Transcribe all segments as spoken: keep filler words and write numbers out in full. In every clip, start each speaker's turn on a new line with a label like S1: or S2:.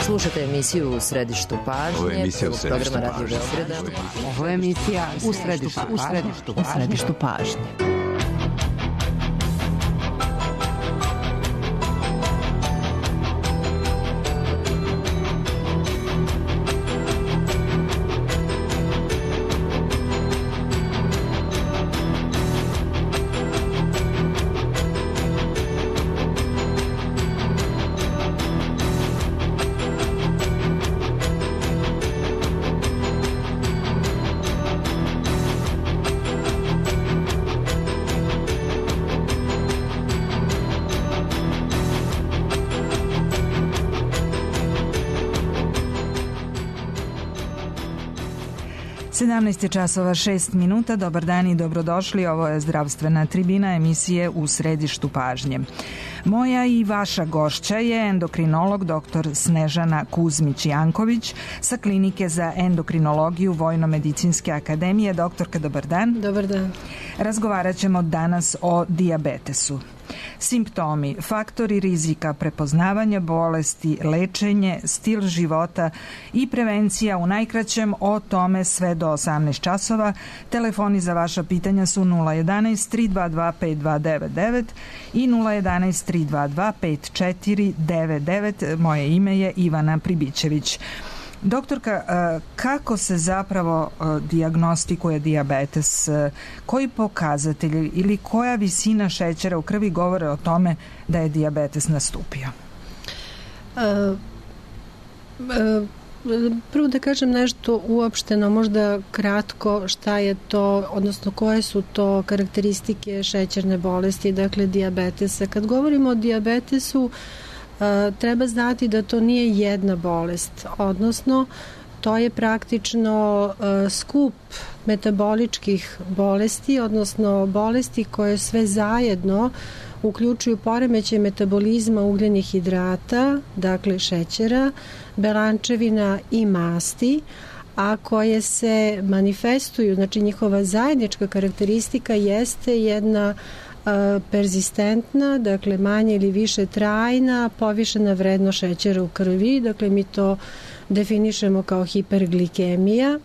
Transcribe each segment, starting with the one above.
S1: Slušajte emisiju U središtu pažnje.
S2: Ovo je emisija U središtu pažnje.
S1: Ovo je emisija U središtu pažnje. U središtu pažnje.
S3: sedamnaest časova šest minuta, dobar dan i dobrodošli, ovo je zdravstvena tribina emisije U središtu pažnje. Moja i vaša gošća je endokrinolog doktor Snežana Kuzmić-Janković sa Klinike za endokrinologiju Vojno-medicinske akademije. Doktorka, dobar dan.
S4: Dobar dan.
S3: Razgovarat ćemo danas o dijabetesu. Simptomi, faktori rizika, prepoznavanje bolesti, lečenje, stil života i prevencija u najkraćem, o tome sve do osamnaest časova. Telefoni za vaša pitanja su nula jedanaest tri dva dva pet dva devet devet i nula jedanaest tri dva dva pet četiri devet devet. Moje ime je Ivana Pribićević. Doktorka, kako se zapravo dijagnostikuje dijabetes? Koji pokazatelji ili koja visina šećera u krvi govore o tome da je dijabetes nastupio?
S4: Uh, uh, prvo da kažem nešto uopšteno, možda kratko, šta je to, odnosno koje su to karakteristike šećerne bolesti, dakle dijabetesa. Kad govorimo o dijabetesu, Uh, treba znati da to nije jedna bolest, odnosno to je praktično uh, skup metaboličkih bolesti, odnosno bolesti koje sve zajedno uključuju poremećaj metabolizma ugljenih hidrata, dakle šećera, belančevina i masti, a koje se manifestuju, znači njihova zajednička karakteristika jeste jedna perzistentna, dakle manje ili više trajna, povišena vrednost šećera u krvi, dakle mi to definišemo kao hiperglikemija,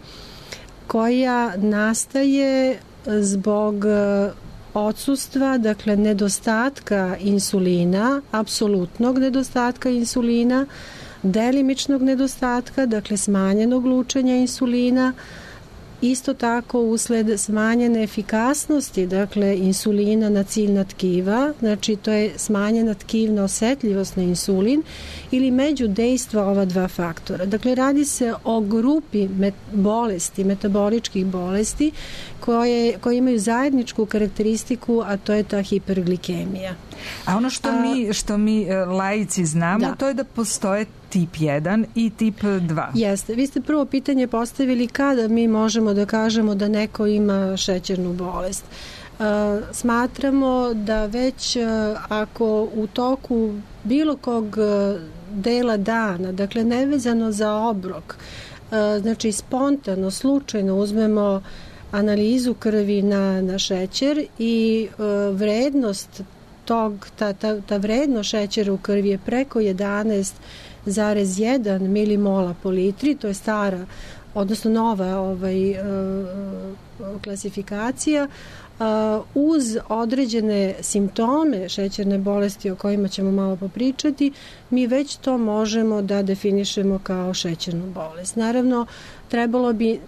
S4: koja nastaje zbog odsustva, dakle nedostatka insulina, apsolutnog nedostatka insulina, delimičnog nedostatka, dakle smanjenog lučenja insulina, isto tako usled smanjene efikasnosti, dakle insulina na ciljna tkiva, znači to je smanjena tkivna osetljivost na insulin ili međudejstva ova dva faktora. Dakle, radi se o grupi met- bolesti, metaboličkih bolesti koje, koje imaju zajedničku karakteristiku, a to je ta hiperglikemija.
S3: A ono što, a, mi, što mi laici znamo, da. To je da postoje tip jedan i tip dva.
S4: Jeste. Vi ste prvo pitanje postavili kada mi možemo da kažemo da neko ima šećernu bolest. Uh, smatramo da već uh, ako u toku bilo kog uh, dela dana, dakle nevezano za obrok, uh, znači spontano, slučajno uzmemo analizu krvi na, na šećer i uh, vrednost tog, ta, ta, ta vrednost šećera u krvi je preko jedanaest zarez jedan milimola po litri, to je stara, odnosno nova ovaj, uh, klasifikacija, uh, uz određene simptome šećerne bolesti o kojima ćemo malo popričati, mi već to možemo da definišemo kao šećernu bolest. Naravno, trebalo bi uh,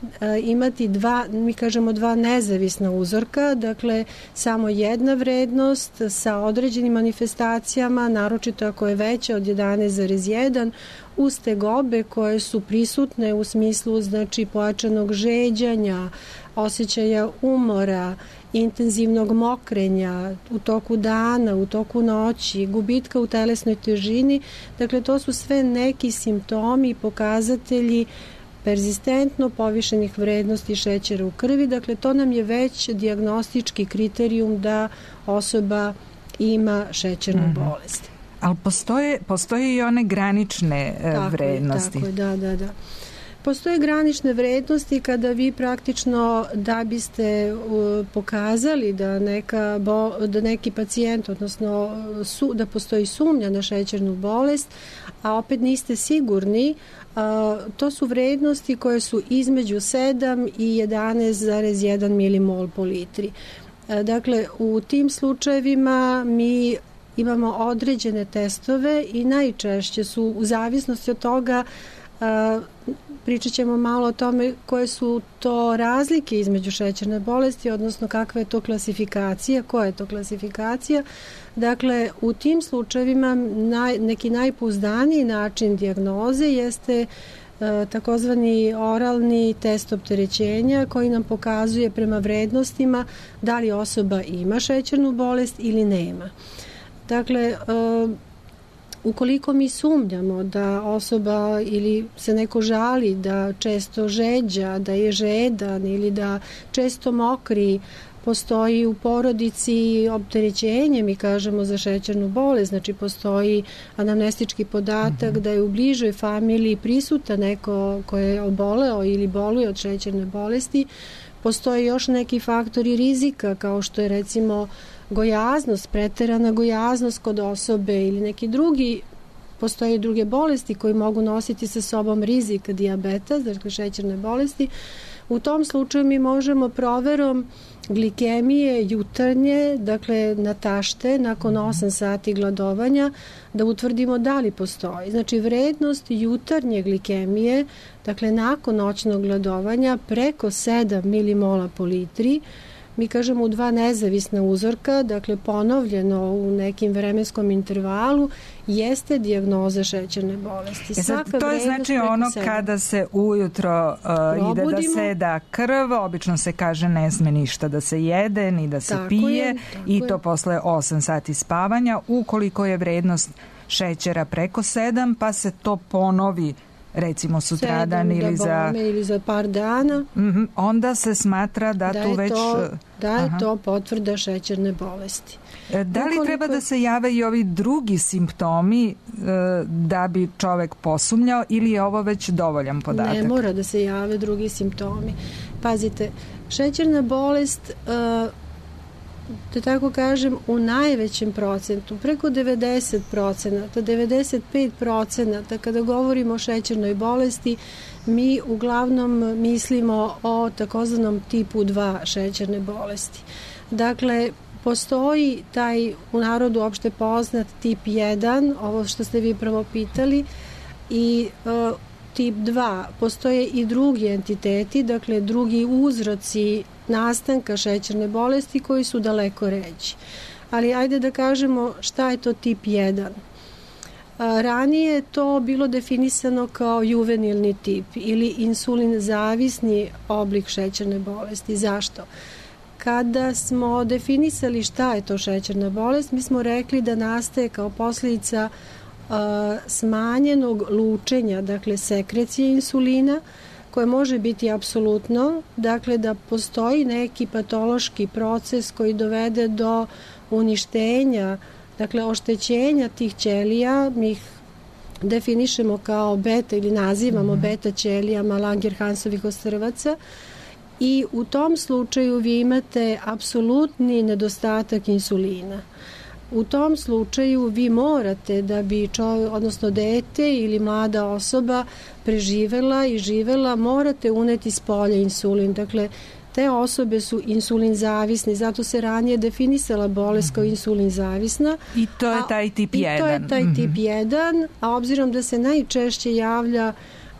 S4: imati dva, mi kažemo dva nezavisna uzorka, dakle samo jedna vrednost sa određenim manifestacijama, naročito ako je veća od jedanaest zarez jedan, uz tegobe koje su prisutne u smislu znači pojačanog žeđanja, osjećaja umora, intenzivnog mokrenja u toku dana, u toku noći, gubitka u telesnoj težini. Dakle, to su sve neki simptomi i pokazatelji perzistentno povišenih vrednosti šećera u krvi. Dakle, to nam je već dijagnostički kriterijum da osoba ima šećernu mm-hmm. bolest.
S3: Ali postoje, postoje i one granične
S4: tako
S3: vrednosti.
S4: Je, tako je, da, da, da. Postoje granične vrednosti kada vi praktično da biste uh, pokazali da, neka bo, da neki pacijent, odnosno su, da postoji sumnja na šećernu bolest, a opet niste sigurni, uh, to su vrednosti koje su između sedam i jedanaest zarez jedan milimol po litri. Uh, dakle, u tim slučajevima mi imamo određene testove i najčešće su u zavisnosti od toga, uh, pričat ćemo malo o tome koje su to razlike između šećerne bolesti, odnosno kakva je to klasifikacija, koja je to klasifikacija. Dakle, u tim slučajevima naj, neki najpouzdaniji način dijagnoze jeste e, takozvani oralni test opterećenja koji nam pokazuje prema vrednostima da li osoba ima šećernu bolest ili nema. Dakle, e, ukoliko mi sumnjamo da osoba ili se neko žali da često žeđa, da je žedan ili da često mokri, postoji u porodici opterećenje, mi kažemo, za šećernu bolest, znači postoji anamnestički podatak mm-hmm. da je u bližoj familiji prisutan neko ko je oboleo ili boluje od šećerne bolesti, postoji još neki faktori rizika kao što je recimo gojaznost, preterana gojaznost kod osobe ili neki drugi, postoje druge bolesti koji mogu nositi sa sobom rizik dijabeta, dakle šećerne bolesti. U tom slučaju mi možemo proverom glikemije jutarnje, dakle na tašte, nakon osam sati gladovanja, da utvrdimo da li postoji. Znači vrednost jutarnje glikemije, dakle nakon noćnog gladovanja, preko sedam milimola po litri, mi kažemo u dva nezavisna uzorka, dakle ponovljeno u nekim vremenskom intervalu, jeste dijagnoza šećerne bolesti.
S3: E sad, to je znači ono sedam. Kada se ujutro uh, ide da se da krv, obično se kaže ne sme ništa da se jede, ni da se tako pije je, i to je. Posle osam sati spavanja. Ukoliko je vrednost šećera preko sedam, pa se to ponovi recimo sutradan ili
S4: da
S3: za
S4: ili za par dana,
S3: mm-hmm, onda se smatra da, da tu već
S4: to, da je aha. to potvrda šećerne bolesti.
S3: Da li Ukoliko... treba da se jave i ovi drugi simptomi e, da bi čovek posumnjao ili je ovo već dovoljan podatak?
S4: Ne mora da se jave drugi simptomi. Pazite, šećerna bolest e, da tako kažem, u najvećem procentu, preko devedeset procenata, devedeset pet procenata, kada govorimo o šećernoj bolesti, mi uglavnom mislimo o takozvanom tipu dva šećerne bolesti. Dakle, postoji taj u narodu opšte poznat tip jedan, ovo što ste vi prvo pitali, i uh, tip dva, postoje i drugi entiteti, dakle drugi uzroci nastanka šećerne bolesti koji su daleko ređi. Ali ajde da kažemo šta je to tip jedan. Ranije je to bilo definisano kao juvenilni tip ili insulin zavisni oblik šećerne bolesti. Zašto? Kada smo definisali šta je to šećerna bolest, mi smo rekli da nastaje kao posljedica uh, smanjenog lučenja, dakle sekrecije insulina, koje može biti apsolutno, dakle da postoji neki patološki proces koji dovede do uništenja, dakle oštećenja tih ćelija, mi ih definišemo kao beta ili nazivamo beta ćelijama Langerhansovih ostrvaca, i u tom slučaju vi imate apsolutni nedostatak insulina. U tom slučaju vi morate da bi čovjek, odnosno dete ili mlada osoba preživela i živela, morate uneti s polja insulin. Dakle, te osobe su insulin zavisni, zato se ranije definisala bolest kao insulin zavisna.
S3: I to je taj tip jedan.
S4: I to je taj mm-hmm. tip jedan, a obzirom da se najčešće javlja,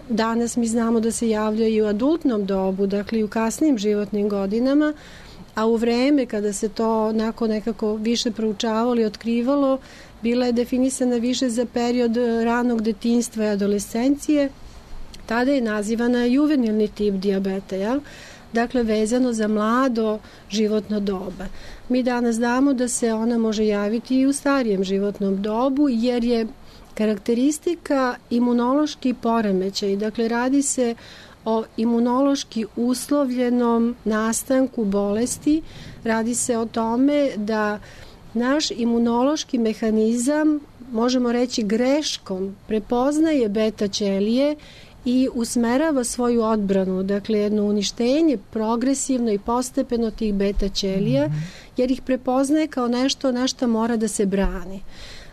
S4: danas mi znamo da se javlja i u adultnom dobu, dakle i u kasnim životnim godinama, a u vreme kada se to nakon nekako više proučavalo i otkrivalo, bila je definisana više za period ranog detinjstva i adolescencije, tada je nazivana juvenilni tip dijabeta, ja? Dakle vezano za mlado životno doba. Mi danas znamo da se ona može javiti i u starijem životnom dobu, jer je karakteristika imunološki poremećaj, dakle radi se o imunološki uslovljenom nastanku bolesti, radi se o tome da naš imunološki mehanizam, možemo reći greškom, prepoznaje beta ćelije i usmerava svoju odbranu, dakle jedno uništenje progresivno i postepeno tih beta ćelija, jer ih prepoznaje kao nešto na što mora da se brani.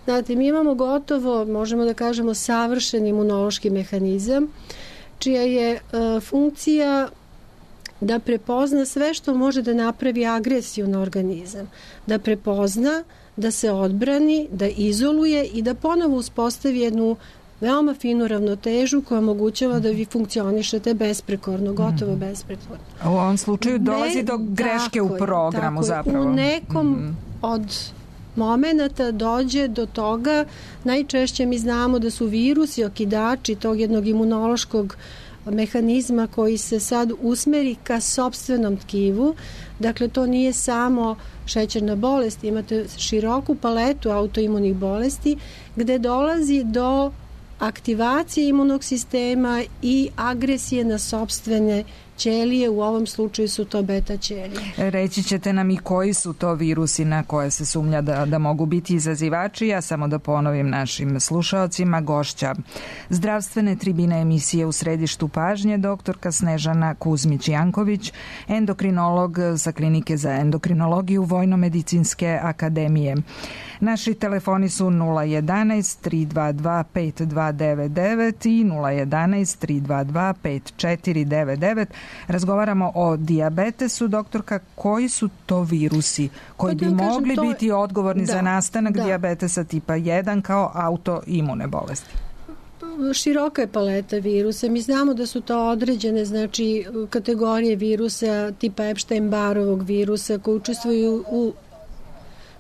S4: Znate, mi imamo gotovo, možemo da kažemo, savršen imunološki mehanizam, čija je uh, funkcija da prepozna sve što može da napravi agresiju na organizam, da prepozna, da se odbrani, da izoluje i da ponovo uspostavi jednu veoma finu ravnotežu koja omogućava da vi funkcionišete besprekorno, gotovo besprekorno.
S3: U ovom slučaju dolazi do greške u programu
S4: tako
S3: zapravo.
S4: U nekom mm. od momenata dođe do toga, najčešće mi znamo da su virusi okidači tog jednog imunološkog mehanizma koji se sad usmeri ka sopstvenom tkivu. Dakle, to nije samo šećerna bolest, imate široku paletu autoimunih bolesti gde dolazi do aktivacije imunog sistema i agresije na sopstvene ćelije, u ovom slučaju su to beta ćelije.
S3: Reći ćete nam i koji su to virusi na koje se sumnja da, da mogu biti izazivači. Ja samo da ponovim našim slušaocima, gošća zdravstvene tribine emisije U središtu pažnje, doktorka Snežana Kuzmić-Janković, endokrinolog sa Klinike za endokrinologiju Vojnomedicinske akademije. Naši telefoni su nula jedanaest tri dva dva pet dva devet devet i nula jedanaest tri dva dva pet četiri devet devet. Razgovaramo o dijabetesu. Doktorka, koji su to virusi koji bi mogli to... biti odgovorni da, za nastanak da. dijabetesa tipa jedan kao autoimune bolesti?
S4: Široka je paleta virusa. Mi znamo da su to određene, znači, kategorije virusa tipa Epstein-Barrovog virusa koji učestvuju u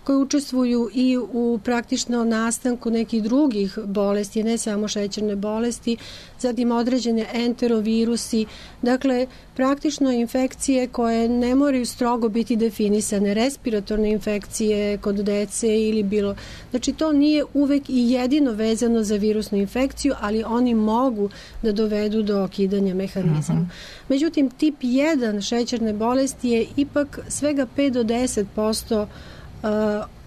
S4: koji učestvuju i u praktično nastanku nekih drugih bolesti, ne samo šećerne bolesti, zatim određene enterovirusi, dakle praktično infekcije koje ne moraju strogo biti definisane, respiratorne infekcije kod dece ili bilo. Znači to nije uvek i jedino vezano za virusnu infekciju, ali oni mogu da dovedu do okidanja mehanizama. Uh-huh. Međutim, tip jedan šećerne bolesti je ipak svega pet do deset posto Uh,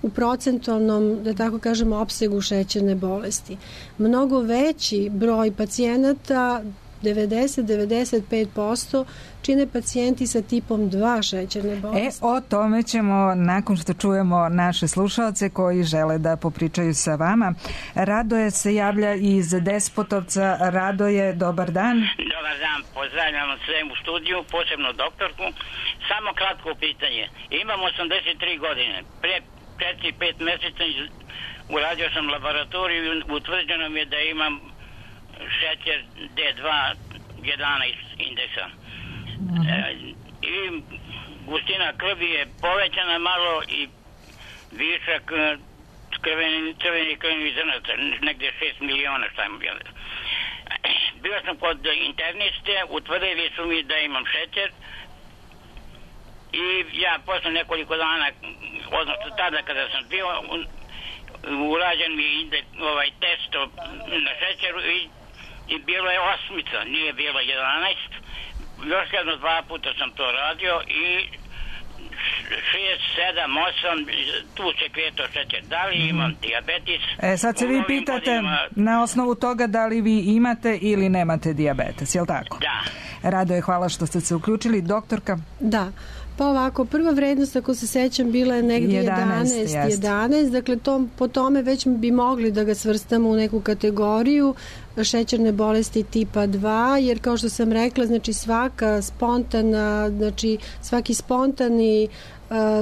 S4: u procentualnom, da tako kažemo, opsegu šećerne bolesti. Mnogo veći broj pacijenata, devedeset do devedeset pet posto, čine pacijenti sa tipom dva šećerne bolesti.
S3: E, o tome ćemo nakon što čujemo naše slušaoce koji žele da popričaju sa vama. Radoje se javlja iz Despotovca. Radoje, dobar dan.
S2: Dobar dan, pozdravljam sve u studiju, posebno doktorku. Samo kratko pitanje. Imam osamdeset tri godine. Pre četiri pet meseca uradio sam laboratoriju i utvrđeno mi je da imam šećer D dva jedanaest indeksa. Uh-huh. E, i gustina krvi je povećana malo i višak crvenih crveni krvnih zrnaca, negde šest miliona, šta im bilo. Bio sam kod interniste, utvrdili su mi da imam šećer i ja posle nekoliko dana, odnosno tada kada sam bio, urađen mi ide ovaj test na šećeru i, i bilo je osmica, nije bilo jedanaest. Još jedno dva puta sam to radio i šest, sedam, osam, tu se kreto šećer. Da li imam dijabetes?
S3: E, sad se vi pitate godinama... na osnovu toga da li vi imate ili nemate dijabetes, je li tako?
S2: Da.
S3: Radoje, hvala što ste se uključili. Doktorka?
S4: Da. Pa ovako, prva vrednost, ako se sećam, bila je negdje jedanaest, jedanaest, dakle to, po tome već bi mogli da ga svrstamo u neku kategoriju šećerne bolesti tipa dva, jer kao što sam rekla, znači svaka spontana, znači svaki spontani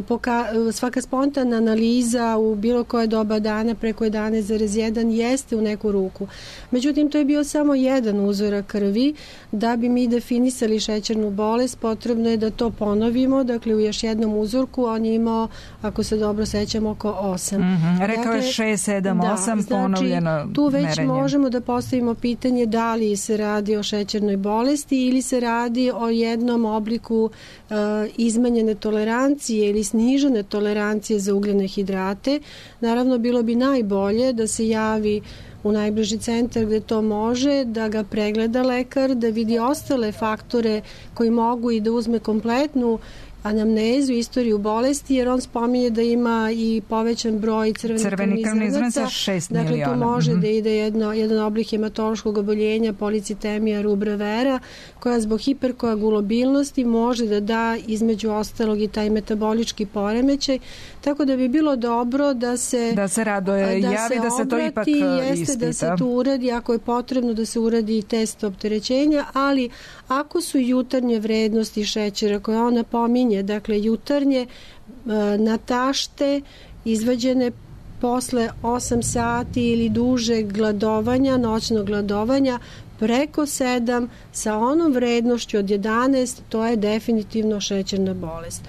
S4: Poka, svaka spontana analiza u bilo koje doba dana preko jedanaest zarez jedan jeste u neku ruku. Međutim, to je bio samo jedan uzorak krvi. Da bi mi definisali šećernu bolest, potrebno je da to ponovimo. Dakle, u još jednom uzorku on je imao, ako se dobro sećam, oko osam.
S3: Mm-hmm. Rekao je šest, sedam, osam da, ponovljeno
S4: znači, tu već
S3: merenje.
S4: Možemo da postavimo pitanje da li se radi o šećernoj bolesti ili se radi o jednom obliku uh, izmenjene tolerancije ili snižene tolerancije za ugljene hidrate. Naravno, bilo bi najbolje da se javi u najbliži centar gde to može, da ga pregleda lekar, da vidi ostale faktore koji mogu i da uzme kompletnu anamnezu, istoriju bolesti, jer on spominje da ima i povećan broj crvenih
S3: Crveni krvnih zrnaca, šest
S4: dakle,
S3: miliona.
S4: Dakle, tu može
S3: mm-hmm.
S4: da ide jedno, jedan oblik hematološkog oboljenja, policitemija rubra vera, koja zbog hiperkoagulabilnosti može da da između ostalog i taj metabolički poremećaj, tako da bi bilo dobro da se
S3: da se Radoje
S4: da
S3: javi,
S4: se
S3: da se to
S4: obrati,
S3: ipak
S4: jeste
S3: ispita.
S4: Da se to uradi, ako je potrebno da se uradi test opterećenja, ali ako su jutarnje vrednosti šećera koje ona pominje, dakle jutarnje na tašte izvađene posle osam sati ili dužeg gladovanja, noćnog gladovanja, preko sedam sa onom vrednošću od jedanaest, to je definitivno šećerna bolest.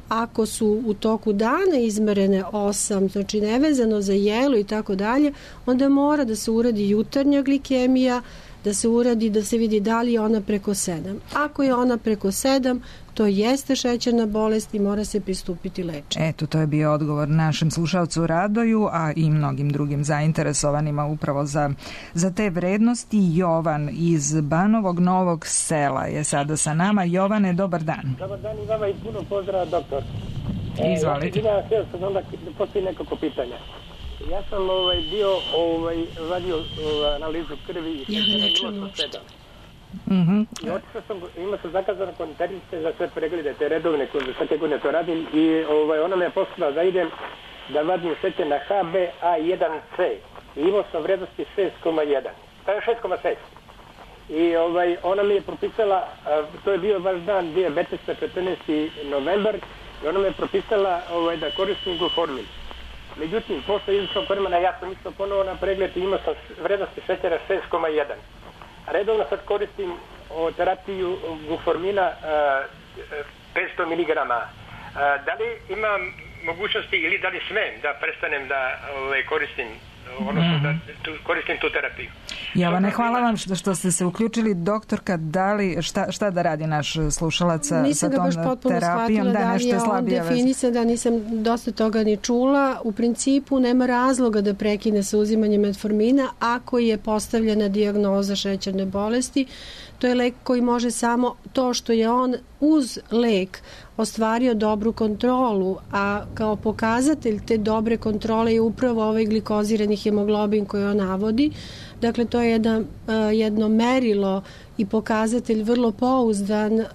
S4: Ako su u toku dana izmerene osam, znači nevezano za jelo i tako dalje, onda mora da se uradi jutarnja glikemija, da se uradi, da se vidi da li je ona preko sedam. Ako je ona preko sedam, to jeste šećerna bolest i mora se pristupiti lečenju.
S3: Eto, to je bio odgovor našem slušalcu Radoju, a i mnogim drugim zainteresovanima upravo za, za te vrednosti. Jovan iz Banovog Novog Sela je sada sa nama. Jovane, dobar dan.
S5: Dobar dan i vama i puno pozdrava, doktor.
S3: Izvolite.
S5: E, ja sam sad onda postoji nekoliko pitanja. Ja sam ovaj, bio ovaj, vadio ovaj, analizu krvi i
S4: ja ne čujem uopšte.
S3: Mm-hmm.
S5: I otišao sam, ima sam zakazano konterice za sve preglede, te redovne koje svake godine to radim i ovaj, ona me je poslala da idem da vadim šećer na H b A jedan C i imao sam vrednosti šest zarez jedan, to je šest zarez šest. I ovaj, ona mi je propisala, to je bio vaš dan dijabetesa četrnaesti novembar i ona mi je propisala ovaj, da koristim Gluformin. Međutim, posle izvršnog vremena ja sam isto ponovo na pregled i imao sam vrednosti šećera šest zarez jedan. Redovno sad koristim o, terapiju Gluformina petsto miligrama. Da li imam mogućnosti ili da li smem da prestanem da ovaj, koristim odnosno da tu, koristim tu terapiju?
S3: Jovane, hvala vam što, što ste se uključili. Doktorka, da li, šta, šta da radi naš slušalac sa,
S4: nisam
S3: sa tom
S4: terapijom? Nisam ga baš potpuno shvatila da li je on definisan, da nisam dosta toga ni čula. U principu nema razloga da prekine sa uzimanjem metformina ako je postavljena dijagnoza šećerne bolesti. To je lek koji može samo to što je on uz lek ostvario dobru kontrolu, a kao pokazatelj te dobre kontrole je upravo ovaj glikozirani hemoglobin koji on navodi. Dakle, to je jedna, jedno merilo i pokazatelj vrlo pouzdan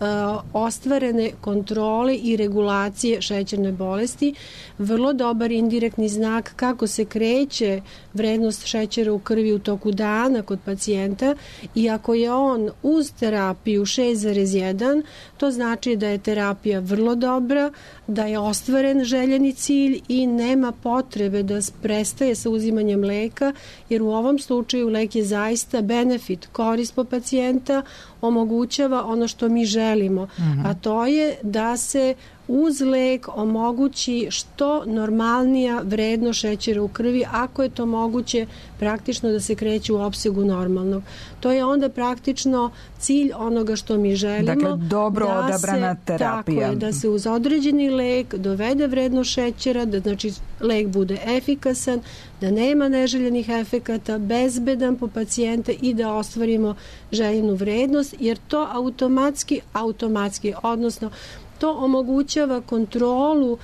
S4: ostvarene kontrole i regulacije šećerne bolesti. Vrlo dobar indirektni znak kako se kreće vrednost šećera u krvi u toku dana kod pacijenta i ako je on uz terapiju šest zarez jedan, to znači da je terapija vrlo dobra, da je ostvaren željeni cilj i nema potrebe da prestaje sa uzimanjem leka, jer u ovom slučaju lek je zaista benefit, korist po pacijenta, omogućava ono što mi želimo, mm-hmm. a to je da se uz lek omogući što normalnija vrednost šećera u krvi, ako je to moguće praktično da se kreće u opsegu normalnog. To je onda praktično cilj onoga što mi želimo.
S3: Dakle, dobro
S4: da
S3: odabrana
S4: se,
S3: terapija.
S4: Tako je, da se uz određeni lek dovede vrednost šećera, da znači lek bude efikasan, da nema neželjenih efekata, bezbedan po pacijenta i da ostvarimo željenu vrednost, jer to automatski, automatski, odnosno to omogućava kontrolu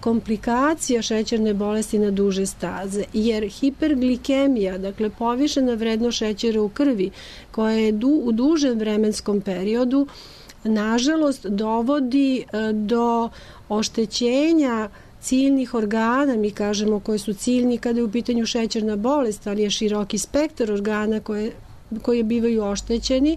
S4: komplikacija šećerne bolesti na duže staze, jer hiperglikemija, dakle povišena vrednost šećera u krvi, koja je du, u dužem vremenskom periodu, nažalost dovodi do oštećenja ciljnih organa, mi kažemo koji su ciljni kada je u pitanju šećerna bolest, ali je široki spektar organa koje, koje bivaju oštećeni,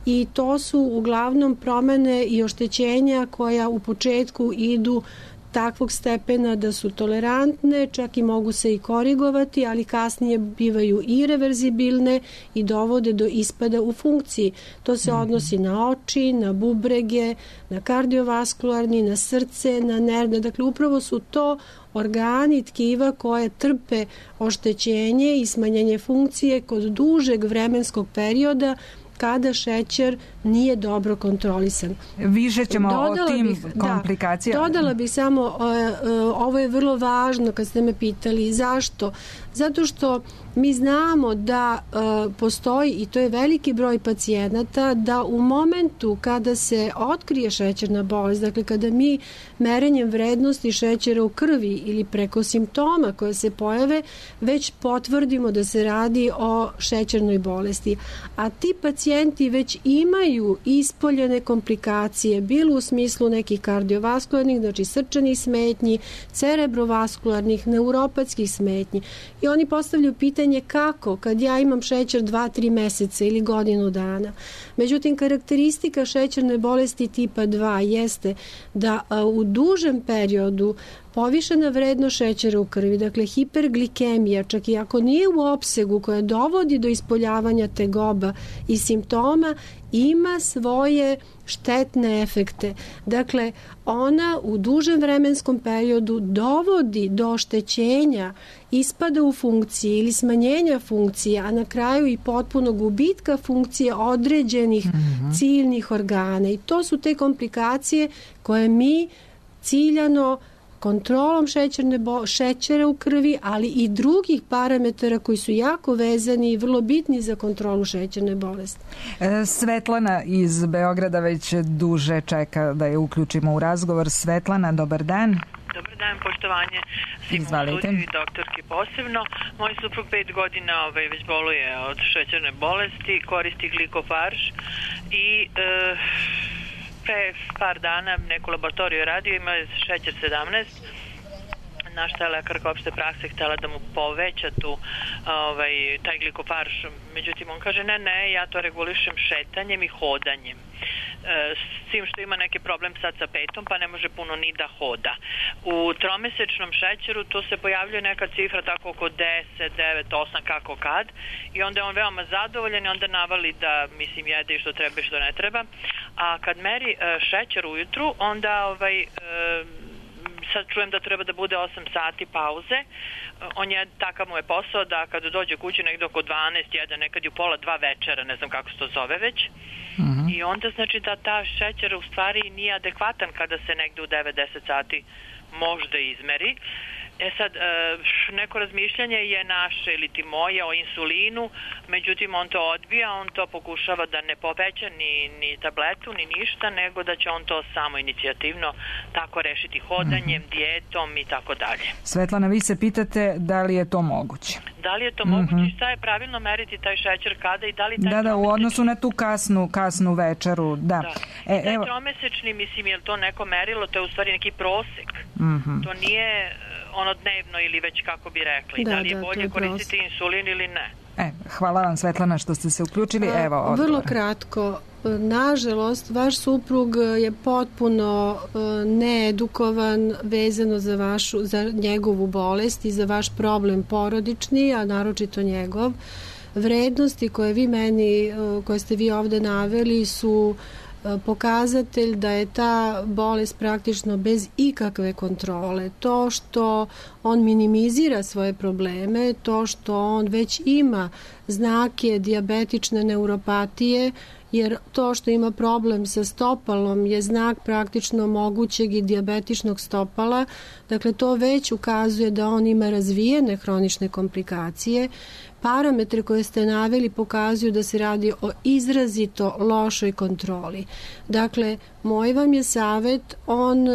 S4: i to su uglavnom promene i oštećenja koja u početku idu takvog stepena da su tolerantne, čak i mogu se i korigovati, ali kasnije bivaju i reverzibilne i dovode do ispada u funkciji. To se odnosi na oči, na bubrege, na kardiovaskularni, na srce, na nervne. Dakle, upravo su to organi tkiva koje trpe oštećenje i smanjenje funkcije kod dužeg vremenskog perioda kada šećer nije dobro kontrolisan.
S3: Više ćemo
S4: dodala
S3: o tim
S4: bih,
S3: komplikacijama.
S4: Da, dodala bih samo, uh, uh, ovo je vrlo važno kad ste me pitali zašto. Zato što mi znamo da uh, postoji, i to je veliki broj pacijenata, da u momentu kada se otkrije šećerna bolest, dakle kada mi merenjem vrednosti šećera u krvi ili preko simptoma koje se pojave, već potvrdimo da se radi o šećernoj bolesti. A ti pacijenti već imaju ispoljene komplikacije, bilo u smislu nekih kardiovaskularnih, znači srčanih smetnji, cerebrovaskularnih, neuropatskih smetnji. I oni postavljaju pitanje kako, kad ja imam šećer dva tri meseca ili godinu dana. Međutim, karakteristika šećerne bolesti tipa dva jeste da a, u dužem periodu povišena vrednost šećera u krvi, dakle hiperglikemija, čak i ako nije u opsegu koja dovodi do ispoljavanja tegoba i simptoma, ima svoje štetne efekte. Dakle, ona u dužem vremenskom periodu dovodi do oštećenja, ispada u funkciji ili smanjenja funkcije, a na kraju i potpuno gubitka funkcije određenih mm-hmm. ciljnih organa. I to su te komplikacije koje mi ciljano kontrolom šećerne bo- šećera u krvi, ali i drugih parametara koji su jako vezani i vrlo bitni za kontrolu šećerne bolesti.
S3: E, Svetlana iz Beograda već duže čeka da je uključimo u razgovor. Svetlana, dobar dan.
S6: Dobar dan, poštovanje svim u studiju i doktorki posebno. Moj suprug pet godina ovaj, već boluje od šećerne bolesti, koristi glikofarž i e, pre par dana neku laboratoriju radio, ima šećer sedamnaest, na šta je lekarka opšte prakse htjela da mu poveća tu ovaj, taj glikofarž. Međutim, on kaže ne, ne, ja to regulišem šetanjem i hodanjem. S tim što ima neki problem sad sa petom, pa ne može puno ni da hoda. U tromesečnom šećeru tu se pojavljuje neka cifra tako oko deset, devet, osam, kako kad, i onda je on veoma zadovoljan i onda navali da, mislim, jede i što treba i što ne treba. A kad meri šećer ujutru, onda ovaj... sad čujem da treba da bude osam sati pauze. On je, takav mu je posao da kada dođe kući negdje oko dvanaest, jedan, nekad i u pola dva večera, ne znam kako se to zove već. Uh-huh. I onda znači da ta šećer u stvari nije adekvatan kada se negdje u devet deset sati možda izmeri. E sad, neko razmišljanje je naše ili ti moje o insulinu, međutim on to odbija, on to pokušava da ne poveća ni, ni tabletu, ni ništa, nego da će on to samo inicijativno tako rešiti hodanjem, mm-hmm. dijetom i tako dalje.
S3: Svetlana, vi se pitate da li je to moguće?
S6: Da li je to mm-hmm. moguće i šta je pravilno meriti taj šećer kada i da li taj
S3: Da, da, u odnosu na tu kasnu, kasnu večeru, da.
S6: da. E, taj evo... tromesečni, mislim, je li to neko merilo, to je u stvari neki prosek. Mm-hmm. To nije ono dnevno ili već kako bi rekli. Da, da li je da, bolje koristiti insulin ili ne?
S3: E, hvala vam, Svetlana, što ste se uključili.
S4: A,
S3: Evo odgovor.
S4: Vrlo kratko. Nažalost, vaš suprug je potpuno needukovan vezano za, vašu, za njegovu bolest i za vaš problem porodični, a naročito njegov. Vrednosti koje vi meni, koje ste vi ovde naveli su pokazatelj da je ta bolest praktično bez ikakve kontrole. To što on minimizira svoje probleme, to što on već ima znake dijabetične neuropatije, jer to što ima problem sa stopalom je znak praktično mogućeg i dijabetičnog stopala. Dakle, to već ukazuje da on ima razvijene hronične komplikacije. Parametre koje ste naveli pokazuju da se radi o izrazito lošoj kontroli. Dakle, moj vam je savjet, on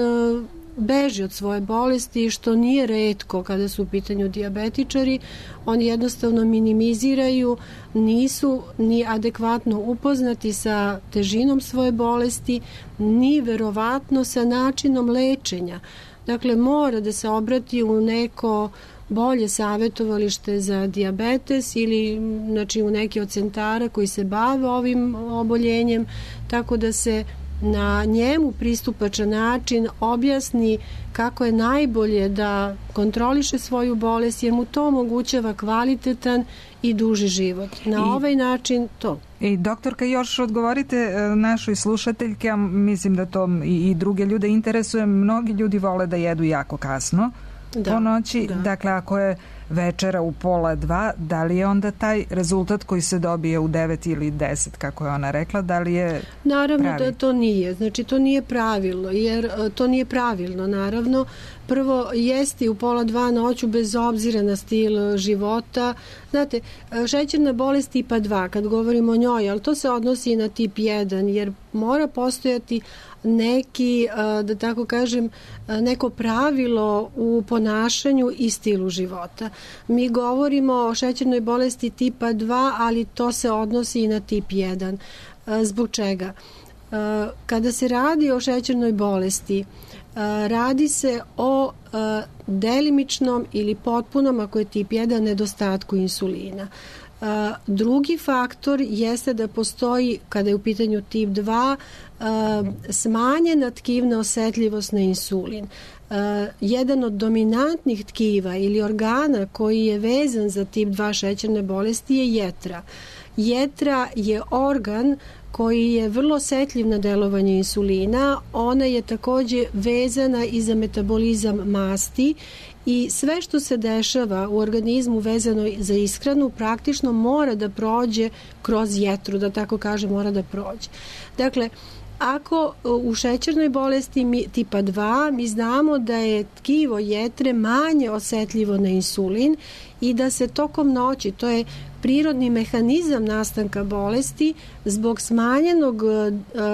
S4: beži od svoje bolesti, što nije retko kada su u pitanju dijabetičari. Oni jednostavno minimiziraju, nisu ni adekvatno upoznati sa težinom svoje bolesti, ni verovatno sa načinom lečenja. Dakle, mora da se obrati u neko bolje savjetovalište za dijabetes ili znači, u neki od centara koji se bave ovim oboljenjem, tako da se na njemu pristupačan način objasni kako je najbolje da kontroliše svoju bolest, jer mu to omogućava kvalitetan i duži život. Na I, ovaj način to.
S3: I doktorka, još odgovorite našoj slušateljke, a mislim da to i, i druge ljude interesuje. Mnogi ljudi vole da jedu jako kasno da, po noći. Da. Dakle, ako je večera u pola dva, da li je onda taj rezultat koji se dobije u devet ili deset, kako je ona rekla, da li je
S4: Naravno
S3: pravi?
S4: Da to nije, znači to nije pravilno, jer to nije pravilno, naravno. Prvo, jesti u pola dva noću bez obzira na stil života. Znate, šećerna bolest tipa dva, kad govorimo o njoj, ali to se odnosi i na tip jedan, jer mora postojati neki, da tako kažem, neko pravilo u ponašanju i stilu života. Mi govorimo o šećernoj bolesti tipa dva, ali to se odnosi i na tip jedan. Zbog čega? Kada se radi o šećernoj bolesti, radi se o delimičnom ili potpunom, ako je tip jedan, nedostatku insulina. Drugi faktor jeste da postoji, kada je u pitanju tip dva, smanjena tkivna osetljivost na insulin. Jedan od dominantnih tkiva ili organa koji je vezan za tip dva šećerne bolesti je jetra. Jetra je organ koji je vrlo osetljiv na delovanje insulina. Ona je takođe vezana i za metabolizam masti i sve što se dešava u organizmu vezano za ishranu praktično mora da prođe kroz jetru, da tako kaže, mora da prođe. Dakle, ako u šećernoj bolesti mi, tipa dva mi znamo da je tkivo jetre manje osetljivo na insulin i da se tokom noći, to je prirodni mehanizam nastanka bolesti, zbog smanjenog,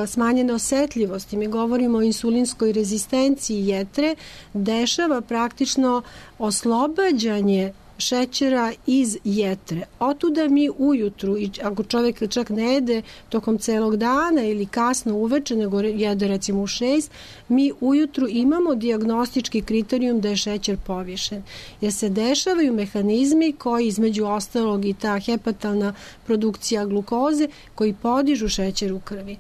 S4: smanjene osetljivosti, mi govorimo o insulinskoj rezistenciji jetre, dešava praktično oslobađanje šećera iz jetre. Otuda mi ujutru, i ako čovjek čak ne jede tokom celog dana ili kasno uveče, nego jede recimo u šest, mi ujutru imamo dijagnostički kriterijum da je šećer povišen. Jer se dešavaju mehanizmi koji, između ostalog i ta hepatalna produkcija glukoze, koji podižu šećer u krvi.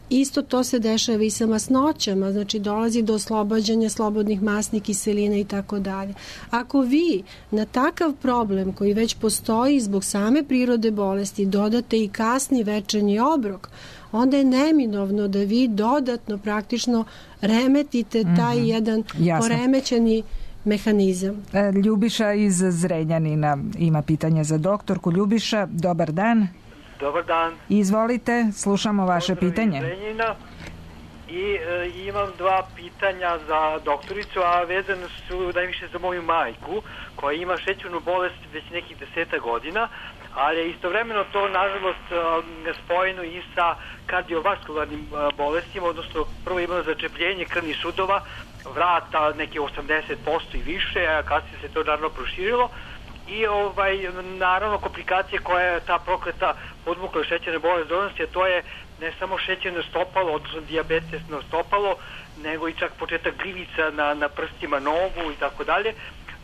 S4: Isto to se dešava i sa masnoćama, znači dolazi do oslobađanja slobodnih masnih kiselina i tako dalje. Ako vi na takav problem koji već postoji zbog same prirode bolesti dodate i kasni večernji obrok, onda je neminovno da vi dodatno praktično remetite taj mm-hmm. jedan Jasno. poremećeni mehanizam.
S3: Ljubiša iz Zrenjanina ima pitanje za doktorku. Ljubiša, dobar dan.
S7: Dobar dan.
S3: Izvolite, slušamo vaše
S7: Pozdrav
S3: pitanje.
S7: Iz Zrenjanina. I e, imam dva pitanja za doktoricu, a vezane su najviše za moju majku, koja ima šećernu bolest već nekih deseta godina, ali je istovremeno to, nažalost, spojeno i sa kardiovaskularnim bolestima, odnosno prvo imala začepljenje krvnih sudova, vrata neke osamdeset posto i više, a kasnije se to naravno proširilo. I ovaj, naravno komplikacije koja je ta prokleta podmukla šećerne bolest donosi, a to je ne samo šećerno stopalo, odnosno dijabetesno stopalo, nego i čak početak gljivica na, na prstima nogu i tako dalje.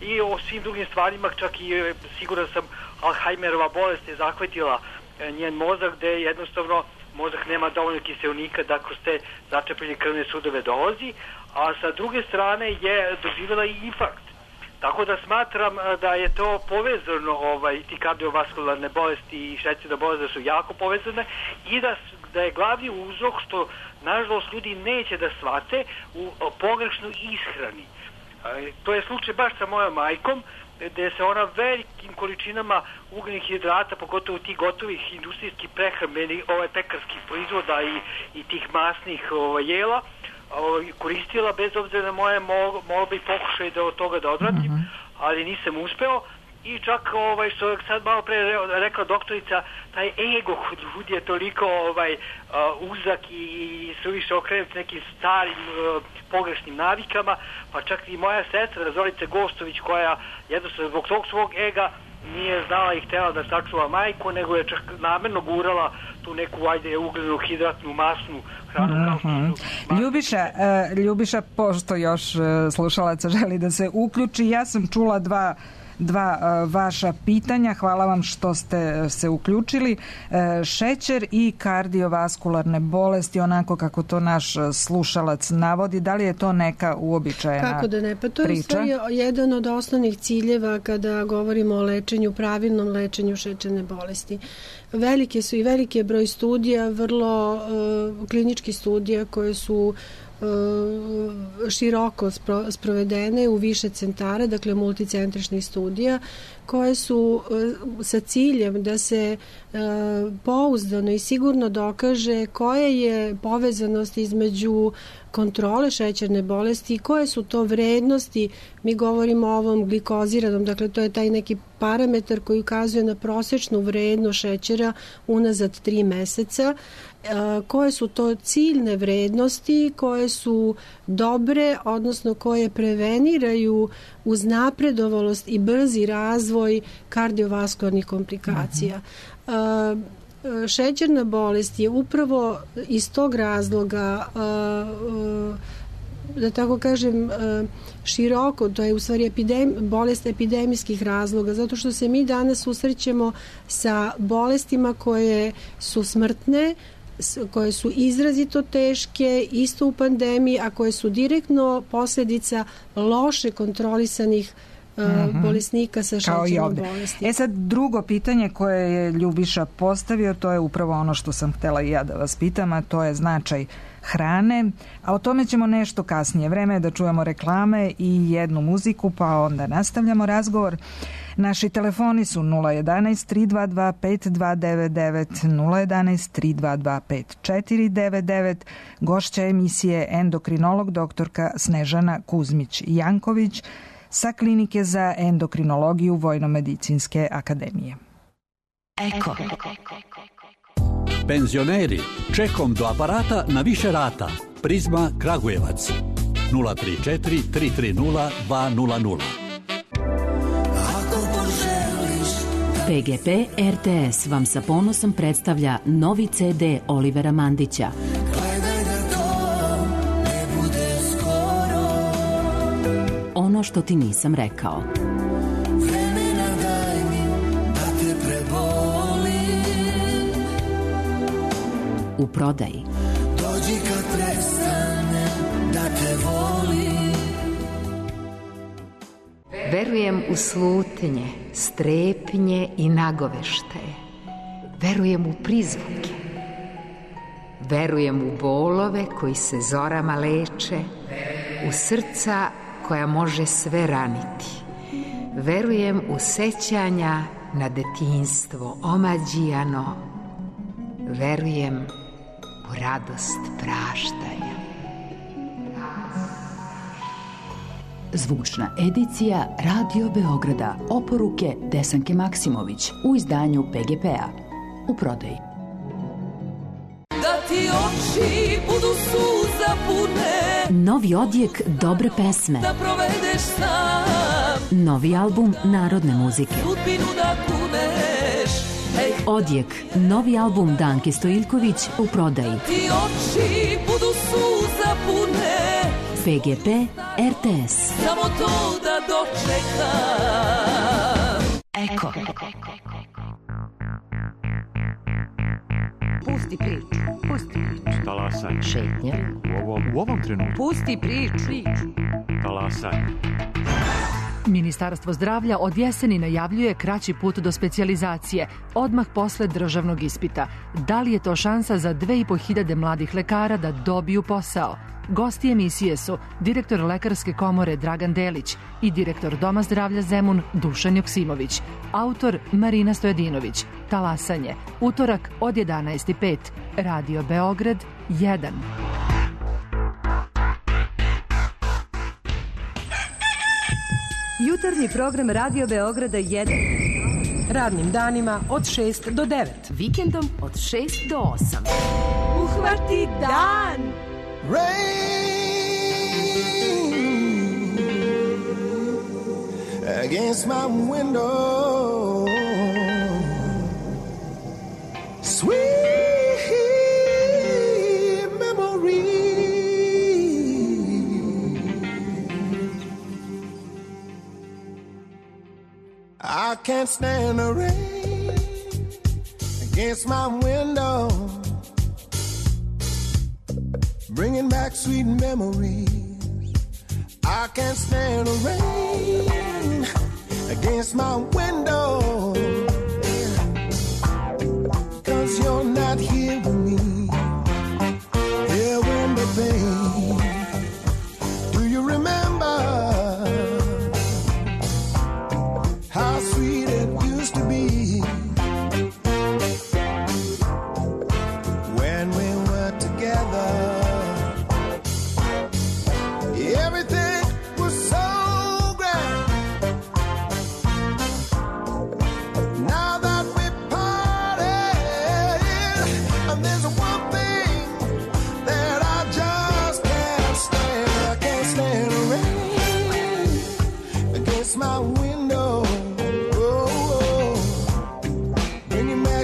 S7: I o svim drugim stvarima, čak i siguran sam, Alzheimerova bolest je zahvatila njen mozak, gde jednostavno mozak nema dovoljno kiseonika da kroz te začepljene krvne sudove dolazi, a sa druge strane je doživjela i infarkt. Tako da smatram da je to povezano, ovaj, ti kardiovaskularne bolesti i šećerna bolest da su jako povezane i da, da je glavni uzrok što nažalost ljudi neće da shvate u pogrešnoj ishrani. E, to je slučaj baš sa mojom majkom, gde se ona velikim količinama ugljenih hidrata, pogotovo tih gotovih industrijskih prehrambenih, ovaj, pekarskih proizvoda i, i tih masnih ovaj, jela, koristila bez obzira na moje molbe i pokušaje da od toga da odvratim, mm-hmm. ali nisam uspeo i čak ovaj, što je sad malo pre rekla doktorica, taj ego kod ljudi je toliko ovaj, uh, uzak i, i suviše okrenut nekim starim uh, pogrešnim navikama, pa čak i moja sestra Zorica Gostović, koja jednostavno zbog tog svog ega nije znala i htjela da sačuva majku, nego je čak namerno gurala tu neku, ajde, ugljenu, hidratnu, masnu hranu.
S3: Mm-hmm. Kao Ljubiša, uh, Ljubiša, pošto još uh, slušalaca želi da se uključi, ja sam čula dva dva uh, vaša pitanja. Hvala vam što ste se uključili. Uh, šećer i kardiovaskularne bolesti, onako kako to naš slušalac navodi, da li je to neka uobičajena priča?
S4: Kako da ne, pa to je sve jedan od osnovnih ciljeva kada govorimo o lečenju, pravilnom lečenju šećerne bolesti. Velike su i veliki broj studija, vrlo uh, kliničkih studija koje su široko sprovedene u više centara, dakle multicentričnih studija, koje su sa ciljem da se pouzdano i sigurno dokaže koja je povezanost između kontrole šećerne bolesti i koje su to vrednosti. Mi govorimo o ovom glikoziranom, dakle to je taj neki parametar koji ukazuje na prosečnu vrednost šećera unazad tri meseca, koje su to ciljne vrednosti koje su dobre, odnosno koje preveniraju uznapredovalost i brzi razvoj kardiovaskularnih komplikacija. Uh-huh. Šećerna bolest je upravo iz tog razloga, da tako kažem, široko, to je u stvari epidem, bolest epidemijskih razloga, zato što se mi danas susrećemo sa bolestima koje su smrtne, koje su izrazito teške, isto u pandemiji, a koje su direktno posljedica loše kontrolisanih uh-huh. bolesnika sa šećernom bolesti.
S3: E sad, drugo pitanje koje je Ljubiša postavio, to je upravo ono što sam htjela i ja da vas pitam, a to je značaj hrane, a o tome ćemo nešto kasnije. Vreme je da čujemo reklame i jednu muziku, pa onda nastavljamo razgovor. Naši telefoni su nula jedan tri dva dva pet dva devet devet, nula jedan tri dva dva pet četiri devet devet. Gošća emisije endokrinolog doktorka Snežana Kuzmić-Janković sa Klinike za endokrinologiju Vojnomedicinske akademije.
S8: Eko. Penzioneri, čekom do aparata na više rata. Prizma Kragujevac. nula tri četiri tri tri nula dva nula nula.
S9: P G P R T S vam sa ponosom predstavlja novi C D Olivera Mandića. Ono što ti nisam rekao. U prodaji. Dođi kad prestane da te volim.
S1: Verujem u slutnje, strepnje i nagoveštaje. Verujem u prizvuke. Verujem u bolove koji se zorama leče, u srca koja može sve raniti. Verujem u sećanja na detinjstvo omađijano. Verujem u radost praštanja.
S9: Zvučna edicija Radio Beograda. Oporuke Desanke Maksimović u izdanju P G P-a. U prodaji.
S10: Da ti oči budu suza pune.
S9: Novi odjek dobre pesme.
S10: Da provedeš sam.
S9: Novi album narodne muzike.
S10: Sudbinu da kuneš. Ej.
S9: Odjek, novi album Danke Stojiljković u prodaji.
S10: Ti oči budu suza pune.
S9: P G P R T S.
S10: Samo to da dočekam.
S9: Eko.
S1: Pusti priču, pusti priču.
S11: Talasaj.
S1: Šetnja.
S11: U ovom, u ovom trenutku.
S1: Pusti priču.
S11: Talasaj.
S12: Ministarstvo zdravlja od jeseni najavljuje kraći put do specijalizacije, odmah posle državnog ispita. Da li je to šansa za dve i po hiljade mladih lekara da dobiju posao? Gosti emisije su direktor Lekarske komore Dragan Delić i direktor Doma zdravlja Zemun Dušan Joksimović. Autor Marina Stojadinović. Talasanje. Utorak od jedanaest i pet. Radio Beograd jedan.
S13: Jutarnji program Radio Beograda jedan. Radnim danima od šest do devet.
S9: Vikendom od šest do osam.
S13: Uhvati dan!
S14: Rain against my window, sweet memory. I can't stand the rain against my window, bringing back sweet memories. I can't stand the rain against my window, 'cause you're not here with me, here with me, babe.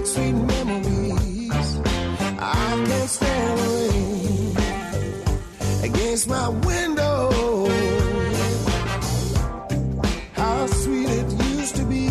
S14: back sweet memories. I can't stand the rain against my window. How sweet it used to be.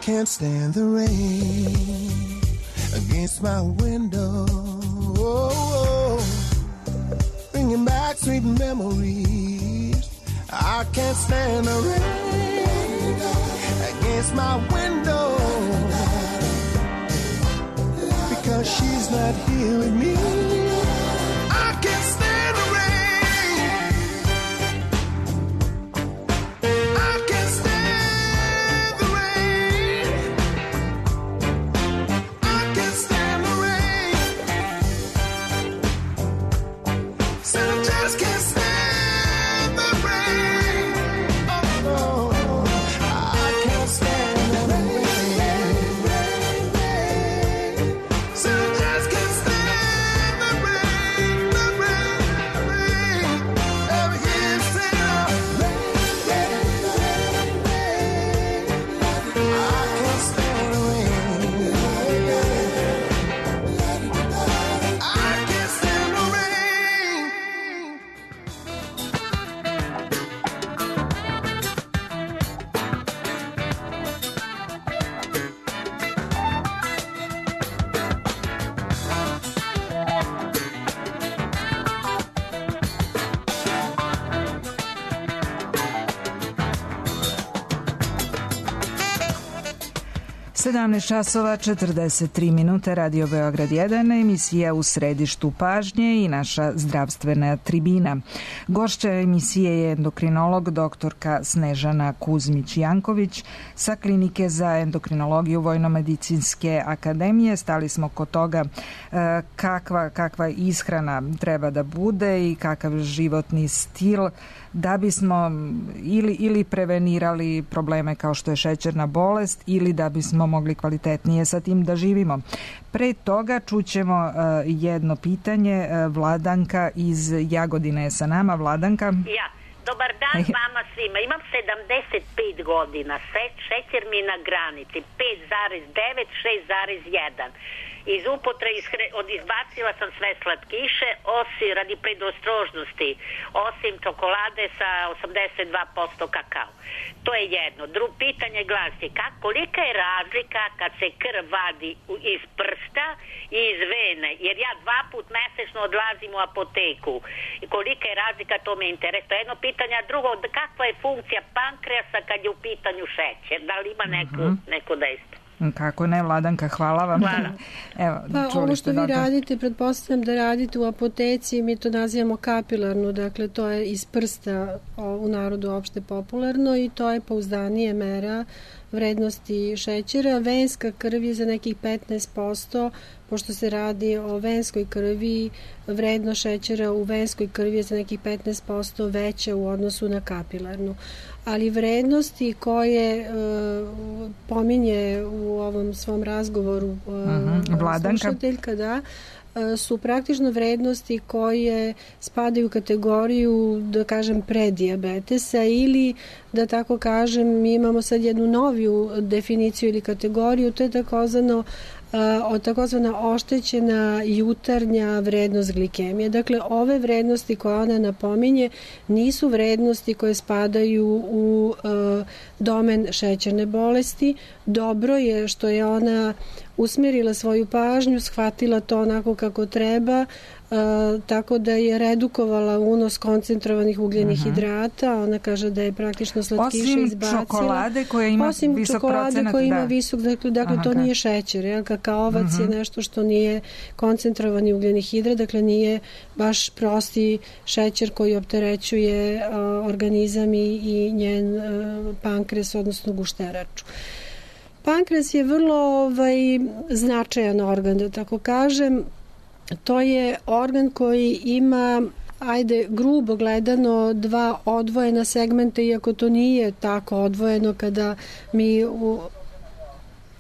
S14: Can't stand the rain against my window, oh, bringing back sweet memories. I can't stand the rain against my window because she's not here with me. I can't stand the rain.
S3: sedamnaest časova četrdeset tri minute, Radio Beograd jedan, emisija U središtu pažnje i naša zdravstvena tribina. Gošća emisije je endokrinolog doktorka Snežana Kuzmić-Janković sa Klinike za endokrinologiju Vojnomedicinske akademije. Stali smo kod toga kakva, kakva ishrana treba da bude i kakav životni stil da bismo ili, ili prevenirali probleme kao što je šećerna bolest ili da bismo mogli kvalitetnije sa tim da živimo. Pre toga čućemo uh, jedno pitanje. Uh, Vladanka iz Jagodine je sa nama. Vladanka?
S15: Ja. Dobar dan vama svima. Imam sedamdeset pet godina. Šećer mi na granici. pet zarez devet, šest zarez jedan. Iz upotre od izbacila sam sve slatkiše, osim radi predostrožnosti, osim čokolade sa osamdeset dva posto kakao. To je jedno. Drugo pitanje glasi, kak, kolika je razlika kad se krv vadi iz prsta i iz vene? Jer ja dva put mesečno odlazim u apoteku. I kolika je razlika, to me interesuje. To je jedno pitanje. A drugo, kakva je funkcija pankreasa kad je u pitanju šećer? Da li ima neko, uh-huh. neko dejstvo?
S3: Kako ne, Vladanka, hvala vam.
S15: Hvala.
S3: Evo,
S4: pa ovo što vi doktor. radite, pretpostavljam da radite u apoteci, mi to nazivamo kapilarnu, dakle to je iz prsta u narodu opšte popularno i to je pouzdanije mera vrednosti šećera. Venska krv je za nekih petnaest posto, pošto se radi o venskoj krvi, vredno šećera u venskoj krvi je za nekih petnaest posto veća u odnosu na kapilarnu. Ali vrednosti koje uh, pominje u ovom svom razgovoru uh, uh-huh.
S3: Vladanka.
S4: slušateljka, da, uh, su praktično vrednosti koje spadaju u kategoriju, da kažem, predijabetesa ili, da tako kažem, mi imamo sad jednu noviju definiciju ili kategoriju, to je takozvano od takozvana oštećena jutarnja vrednost glikemije. Dakle, ove vrednosti koje ona napominje nisu vrednosti koje spadaju u uh, domen šećerne bolesti. Dobro je što je ona usmerila svoju pažnju, shvatila to onako kako treba, tako da je redukovala unos koncentrovanih ugljenih uh-huh. hidrata. Ona kaže da je praktično slatkiše izbacila.
S3: Osim čokolade koja ima
S4: Osim
S3: visok
S4: čokolade
S3: procenat.
S4: koja ima
S3: da.
S4: visok, dakle, dakle Aha, to nije šećer. Jel? Kakaovac uh-huh. je nešto što nije koncentrovani ugljeni hidrat, dakle nije baš prosti šećer koji opterećuje uh, organizam i, i njen uh, pankres, odnosno gušteraču. Pankreas je vrlo ovaj, značajan organ, da tako kažem. To je organ koji ima, ajde, grubo gledano, dva odvojena segmenta, iako to nije tako odvojeno kada mi u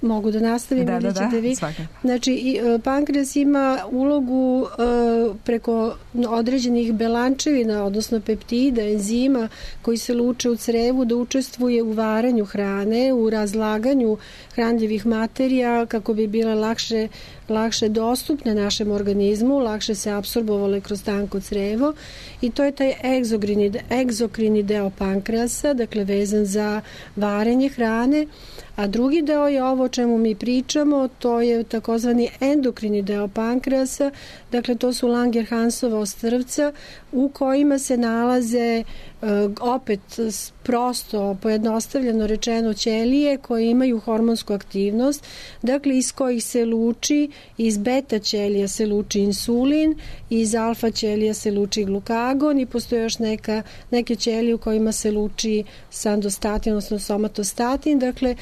S4: mogu da nastavim
S3: da,
S4: ili
S3: da,
S4: ćete
S3: da,
S4: vi.
S3: Svaka.
S4: Znači, pankreas ima ulogu uh, preko određenih belančevina, odnosno peptida, enzima koji se luče u crevu da učestvuje u varanju hrane, u razlaganju hranljivih materija kako bi bile lakše, lakše dostupne našem organizmu, lakše se apsorbovale kroz tanko crevo i to je taj egzokrini, egzokrini deo pankreasa, dakle vezan za varenje hrane. A drugi deo je ovo o čemu mi pričamo, to je takozvani endokrini deo pankreasa, dakle to su Langerhansova ostrvca u kojima se nalaze opet prosto, pojednostavljeno rečeno, ćelije koje imaju hormonsku aktivnost, dakle iz kojih se luči, iz beta ćelija se luči insulin, iz alfa ćelija se luči glukagon i postoje još neka, neke ćelije u kojima se luči sandostatin, odnosno somatostatin, dakle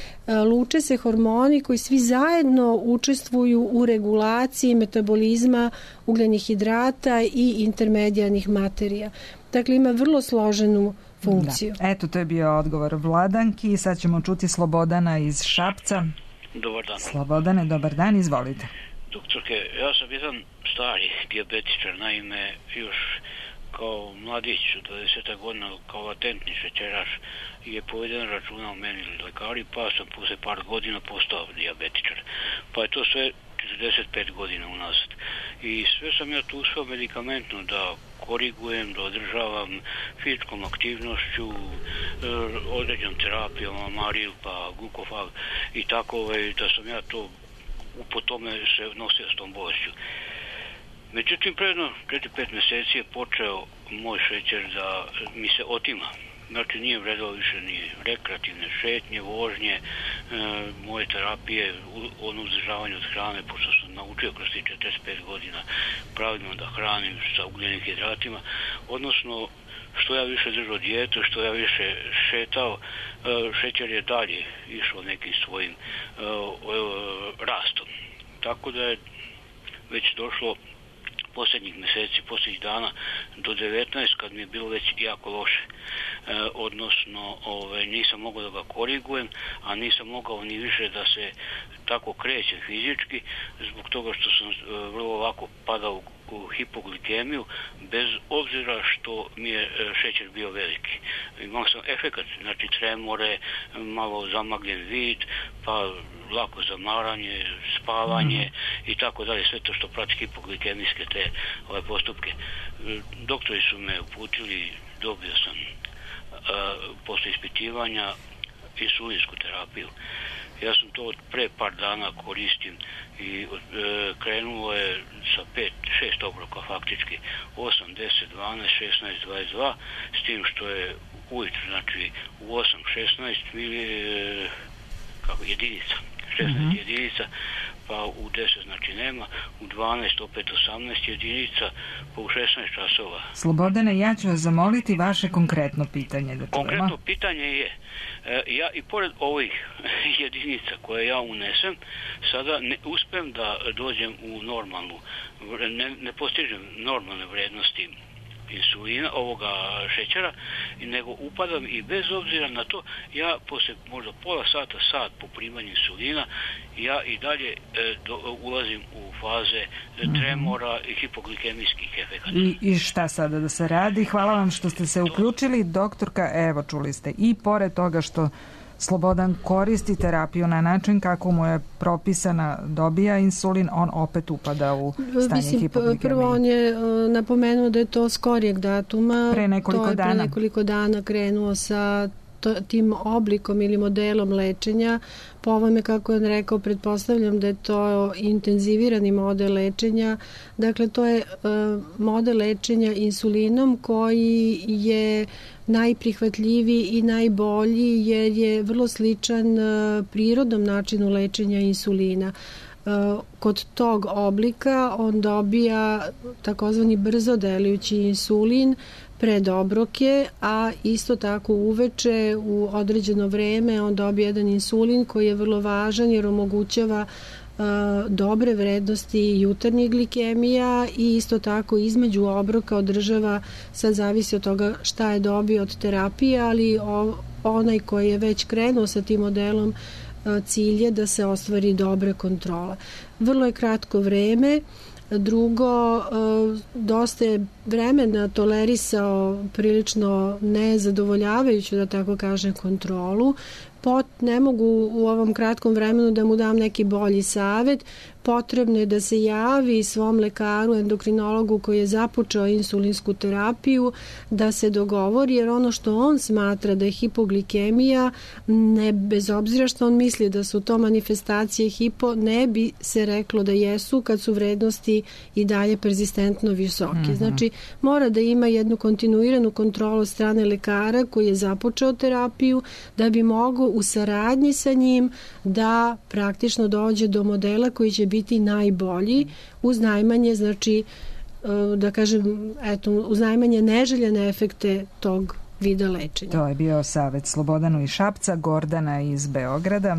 S4: luče se hormoni koji svi zajedno učestvuju u regulaciji metabolizma ugljenih hidrata i intermedijarnih materija. Dakle, ima vrlo složenu funkciju.
S3: Da. Eto, to je bio odgovor Vladanki. Sad ćemo čuti Slobodana iz Šapca.
S16: Dobar dan.
S3: Slobodane, dobar dan, izvolite.
S16: Doktorke, ja sam jedan stari dijabetičar, naime, još kao mladić u dvadeset godina, kao latentni šećeraš, je poveden računa o meni lekari, pa sam posle par godina postao dijabetičar. Pa je to sve četrdeset pet godina unazad. I sve sam ja tu uspeo medikamentno da korigujem, da održavam fizičkom aktivnošću, određenom terapijom, amaril, pa glukofag i tako, da sam ja to po tome se nosio s tom bolešću. Međutim, predno četiri pet meseci je počeo moj šećer da mi se otima. Znači, nije vredilo više ni rekreativne šetnje, vožnje, e, moje terapije, ono uzdržavanje od hrane, pošto sam naučio kroz tih četrdeset pet godina pravilno da hranim sa ugljenim hidratima, odnosno što ja više držao dijetu, što ja više šetao, e, šećer je dalje išao nekim svojim e, e, rastom. Tako da je već došlo posljednjih mjeseci, posljednjih dana do devetnaest kad mi je bilo već jako loše. E, odnosno, ove, nisam mogao da ga korigujem, a nisam mogao ni više da se tako krećem fizički, zbog toga što sam e, vrlo lako padao u hipoglikemiju, bez obzira što mi je šećer bio veliki. Imao sam efekat, znači tremore, malo zamagljen vid, pa lako zamaranje, spavanje mm. i tako dalje, sve to što prati hipoglikemijske te ove postupke. Doktori su me uputili, dobio sam a, posle ispitivanja insulinsku terapiju. Ja sam to od pre par dana koristim i e, krenulo je sa pet, šest obroka faktički, osam, deset, dvanaest, šesnaest, dvadeset dva, s tim što je ujutru, znači u osam, šesnaest mili, e, kako, jedinica, šesnaest mm-hmm. jedinica, pa u deset znači nema, u dvanaest opet osamnaest jedinica, pa u šesnaest časova.
S3: Slobodane, ja ću vas zamoliti vaše konkretno pitanje. Da
S16: konkretno pitanje je, e, ja i pored ovih jedinica koje ja unesem, sada ne uspem da dođem u normalnu, ne, ne postižem normalne vrednosti insulina, ovoga šećera, nego upadam i bez obzira na to, ja posle možda pola sata, sat po primanju insulina, ja i dalje e, do, ulazim u faze tremora i hipoglikemijskih efekata.
S3: I, I šta sada da se radi? Hvala vam što ste se uključili. Doktorka, evo čuli ste, i pored toga što Slobodan koristi terapiju na način kako mu je propisana, dobija insulin, on opet upada u stanje
S4: Mislim,
S3: hipoglikemije.
S4: Prvo on je uh, napomenuo da je to skorijeg datuma.
S3: Pre nekoliko
S4: to je
S3: dana.
S4: Pre nekoliko dana krenuo sa to, tim oblikom ili modelom lečenja. Po ovome, kako je on rekao, pretpostavljam da je to intenzivirani model lečenja. Dakle, to je model lečenja insulinom koji je najprihvatljiviji i najbolji jer je vrlo sličan prirodnom načinu lečenja insulina. Kod tog oblika on dobija takozvani brzo delujući insulin pred obroke, a isto tako uveče u određeno vreme on dobije jedan insulin koji je vrlo važan jer omogućava dobre vrednosti jutarnjih glikemija i isto tako između obroka održava, sad zavisi od toga šta je dobio od terapije, ali onaj koji je već krenuo sa tim modelom cilj je da se ostvari dobra kontrola. Vrlo je kratko vreme. Drugo, dosta je vremena tolerisao prilično nezadovoljavajuću, da tako kažem, kontrolu. Pot, ne mogu u ovom kratkom vremenu da mu dam neki bolji savet. Potrebno je da se javi svom lekaru, endokrinologu koji je započeo insulinsku terapiju, da se dogovori, jer ono što on smatra da je hipoglikemija, ne, bez obzira što on misli da su to manifestacije hipo, ne bi se reklo da jesu kad su vrednosti i dalje persistentno visoke. Mm-hmm. Znači, mora da ima jednu kontinuiranu kontrolu od strane lekara koji je započeo terapiju, da bi mogao u saradnji sa njim da praktično dođe do modela koji će biti najbolji uz najmanje, znači, da kažem, eto, uz najmanje neželjene efekte tog vida lečenja.
S3: To je bio savjet Slobodanu iz Šapca, Gordana iz Beograda.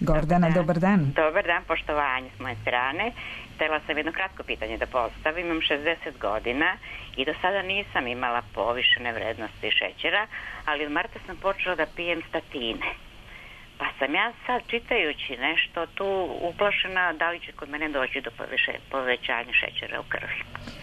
S3: Gordana, dobar dan. Dobar dan,
S17: dobar dan, poštovanje s moje strane. Htela sam jedno kratko pitanje da postavim. Imam šezdeset godina i do sada nisam imala povišene vrednosti šećera, ali od marta sam počela da pijem statine. Pa sam ja sad, čitajući nešto, tu uplašena da li će kod mene doći do povećanja šećera u krvi.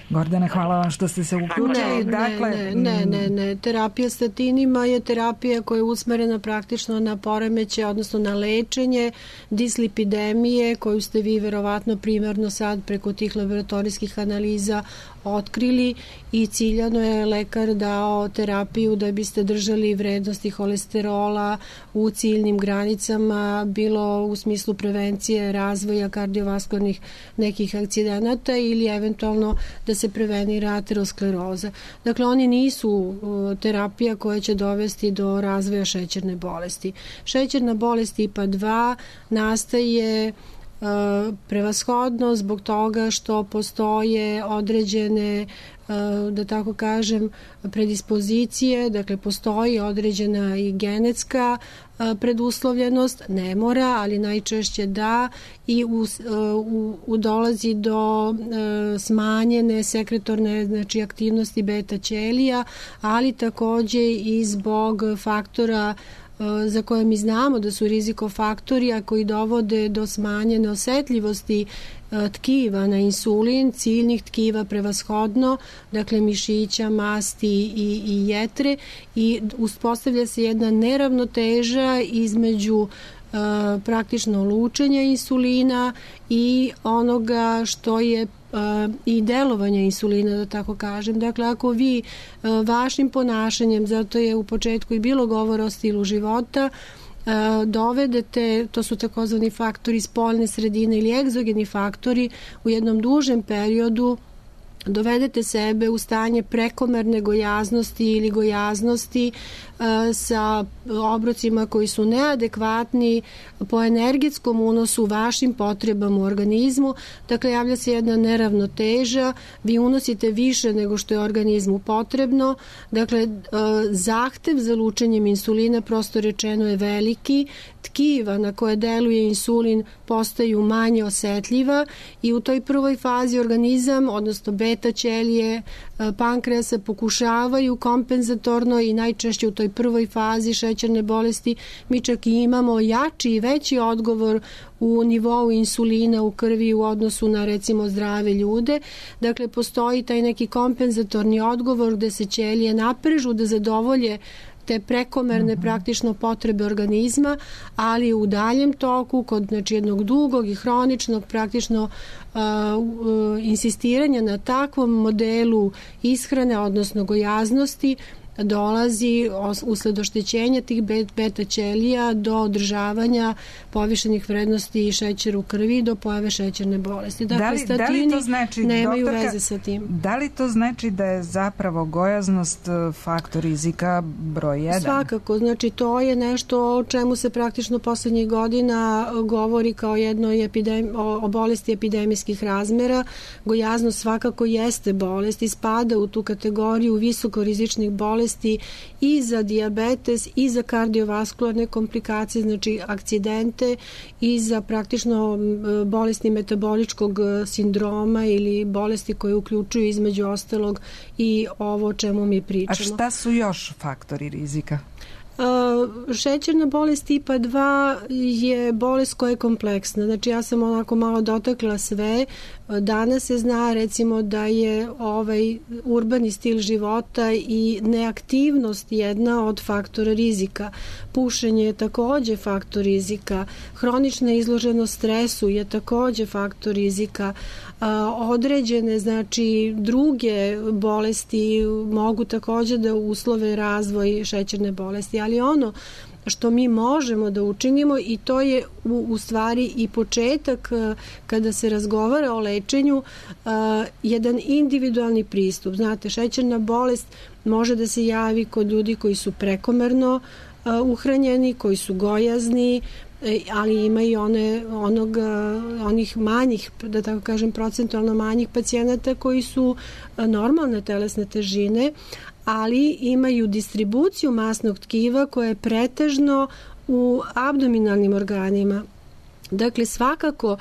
S3: Gordana, hvala vam što ste se uključili.
S4: Ne, dakle, ne, ne, ne, ne. Terapija statinima je terapija koja je usmerena praktično na poremeće, odnosno na lečenje dislipidemije koju ste vi verovatno primarno sad preko tih laboratorijskih analiza otkrili i ciljano je lekar dao terapiju da biste držali vrednosti holesterola u ciljnim granicama, bilo u smislu prevencije razvoja kardiovaskularnih nekih akcidenata ili eventualno da se prevenira ateroskleroza. Dakle, oni nisu terapija koja će dovesti do razvoja šećerne bolesti. Šećerna bolest tipa dva nastaje prevashodno zbog toga što postoje određene, da tako kažem, predispozicije, dakle postoji određena i genetska preduslovljenost, ne mora, ali najčešće da, i u, u, u dolazi do smanjene sekretorne, znači, aktivnosti beta ćelija, ali takođe i zbog faktora za koje mi znamo da su rizikofaktori, a koji dovode do smanjene osetljivosti tkiva na insulin, ciljnih tkiva prevashodno, dakle mišića, masti i, i jetre, i uspostavlja se jedna neravnoteža između Uh, praktično lučenja insulina i onoga što je uh, i delovanje insulina, da tako kažem. Dakle, ako vi uh, vašim ponašanjem, zato je u početku i bilo govora o stilu života, uh, dovedete, to su takozvani faktori spoljne sredine ili egzogeni faktori, u jednom dužem periodu dovedete sebe u stanje prekomerne gojaznosti ili gojaznosti uh, sa obrocima koji su neadekvatni po energetskom unosu vašim potrebama u organizmu. Dakle, javlja se jedna neravnoteža, vi unosite više nego što je organizmu potrebno. Dakle, uh, zahtev za lučenjem insulina, prosto rečeno, je veliki. Tkiva na koje deluje insulin postaju manje osetljiva i u toj prvoj fazi organizam, odnosno beta ćelije pankreasa, pokušavaju kompenzatorno i najčešće u toj prvoj fazi šećerne bolesti mi čak i imamo jači i veći odgovor u nivou insulina u krvi u odnosu na, recimo, zdrave ljude. Dakle, postoji taj neki kompenzatorni odgovor gde se ćelije naprežu da zadovolje te prekomerne mm-hmm. praktično potrebe organizma, ali u daljem toku, kod, znači, jednog dugog i hroničnog praktično uh, uh, insistiranja na takvom modelu ishrane, odnosno gojaznosti, dolazi usled oštećenja tih beta ćelija do održavanja povišenih vrednosti šećera u krvi do pojave šećerne bolesti. Dakle,
S3: da li,
S4: statini
S3: da li to znači,
S4: nemaju
S3: doktorka,
S4: veze sa tim.
S3: Da li to znači da je zapravo gojaznost faktor rizika broj jedan?
S4: Svakako, znači to je nešto o čemu se praktično poslednjih godina govori kao jednoj epidemi, o, o bolesti epidemijskih razmera. Gojaznost svakako jeste bolest i spada u tu kategoriju visokorizičnih bolesti i za dijabetes i za kardiovaskularne komplikacije, znači akcidente i za praktično bolesti metaboličkog sindroma ili bolesti koje uključuju između ostalog i ovo o čemu mi pričamo.
S3: A šta su još faktori rizika?
S4: Uh, šećerna bolest tipa dva je bolest koja je kompleksna. Znači ja sam onako malo dotakla sve. Danas se zna recimo da je ovaj urbani stil života i neaktivnost jedna od faktora rizika. Pušenje je takođe faktor rizika. Hronična izloženost stresu je takođe faktor rizika. A, određene, znači, druge bolesti mogu takođe da uslove razvoj šećerne bolesti, ali ono što mi možemo da učinimo i to je u, u stvari i početak kada se razgovara o lečenju, a, jedan individualni pristup. Znate, šećerna bolest može da se javi kod ljudi koji su prekomerno a, uhranjeni, koji su gojazni, ali ima i one, onog, onih manjih, da tako kažem, procentualno manjih pacijenata koji su normalne telesne težine, ali imaju distribuciju masnog tkiva koja je pretežno u abdominalnim organima. Dakle, svakako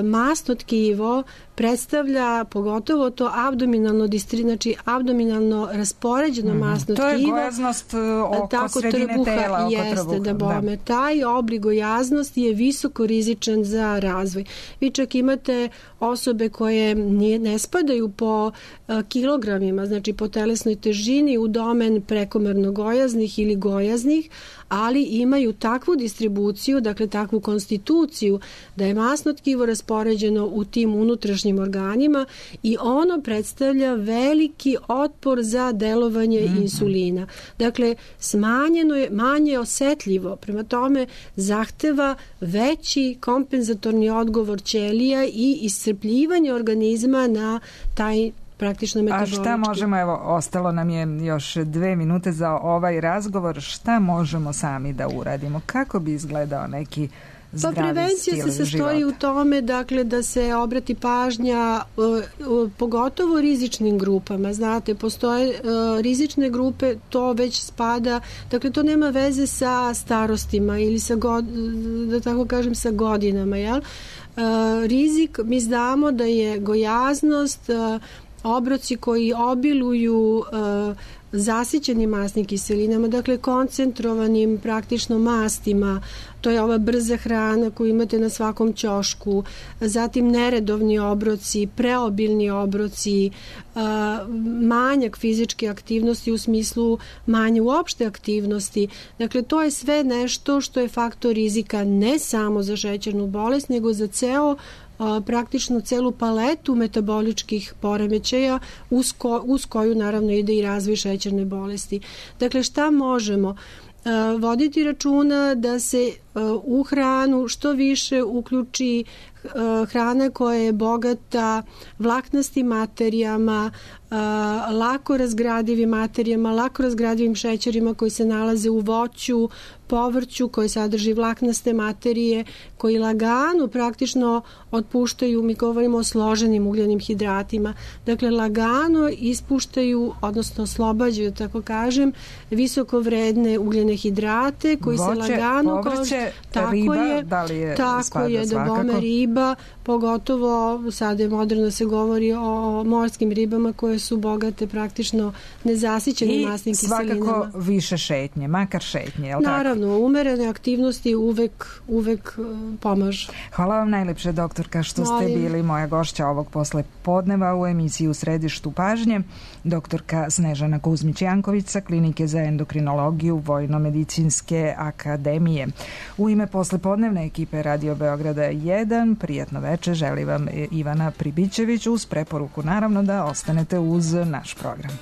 S4: masno tkivo predstavlja pogotovo to abdominalno distri, znači abdominalno raspoređeno mm, masno tkivo.
S3: To je gojaznost oko
S4: tako,
S3: sredine
S4: trbuha,
S3: tela. Oko
S4: jeste,
S3: trbuha,
S4: da bome. Da. Taj oblik gojaznosti je visoko rizičan za razvoj. Vi čak imate osobe koje nije, ne spadaju po uh, kilogramima, znači po telesnoj težini u domen prekomerno gojaznih ili gojaznih, ali imaju takvu distribuciju, dakle takvu konstituciju da je masno tkivo raspoređeno u tim unutrašnjim organima i ono predstavlja veliki otpor za delovanje mm-hmm. insulina. Dakle, smanjeno je, manje osetljivo, prema tome zahteva veći kompenzatorni odgovor ćelija i iscrpljivanje organizma na taj praktično metabolički.
S3: A šta možemo, evo, ostalo nam je još dve minute za ovaj razgovor, šta možemo sami da uradimo? Kako bi izgledao neki zdravi
S4: pa prevencija
S3: stil
S4: se sastoji
S3: života?
S4: U tome, dakle, da se obrati pažnja uh, uh, pogotovo rizičnim grupama. Znate, postoje uh, rizične grupe, to već spada, dakle, to nema veze sa starostima ili sa, god, da tako kažem, sa godinama, jel? Uh, rizik, mi znamo da je gojaznost, uh, obroci koji obiluju uh, zasićenim masnim kiselinama, dakle koncentrovanim praktično mastima, to je ova brza hrana koju imate na svakom ćošku, zatim neredovni obroci, preobilni obroci, manjak fizičke aktivnosti u smislu manje uopšte aktivnosti. Dakle, to je sve nešto što je faktor rizika ne samo za šećernu bolest, nego za ceo praktično celu paletu metaboličkih poremećaja uz, ko, uz koju naravno ide i razvoj šećerne bolesti. Dakle, šta možemo? Voditi računa da se u hranu što više uključi hrana koja je bogata vlaknastim materijama, lako razgradivim materijama, lako razgradivim šećerima koji se nalaze u voću, povrću koji sadrži vlaknaste materije, koji lagano praktično otpuštaju, mi govorimo o složenim ugljenim hidratima, dakle lagano ispuštaju, odnosno oslobađaju, tako kažem, visoko vredne ugljene hidrate koji voće, se lagano
S3: povrće,
S4: tako
S3: riba,
S4: je,
S3: da li je
S4: tako je da bome riba, pogotovo sada je moderno se govori o morskim ribama koje su bogate praktično nezasićenim masnim kiselinama.
S3: I svakako više šetnje, makar šetnje, je li tako?
S4: Naravno, umerene aktivnosti uvek, uvek pomažu.
S3: Hvala vam najlepše, doktorka, što
S4: Molim.
S3: ste bili moja gošća ovog posle podneva u emisiji U središtu pažnje. Doktorka Snežana Kuzmić-Janković sa Klinike za endokrinologiju Vojno-medicinske akademije. U ime poslepodnevne ekipe Radio Beograda jedan, prijatno večer želi vam Ivana Pribićević uz preporuku naravno da ostanete uz naš program.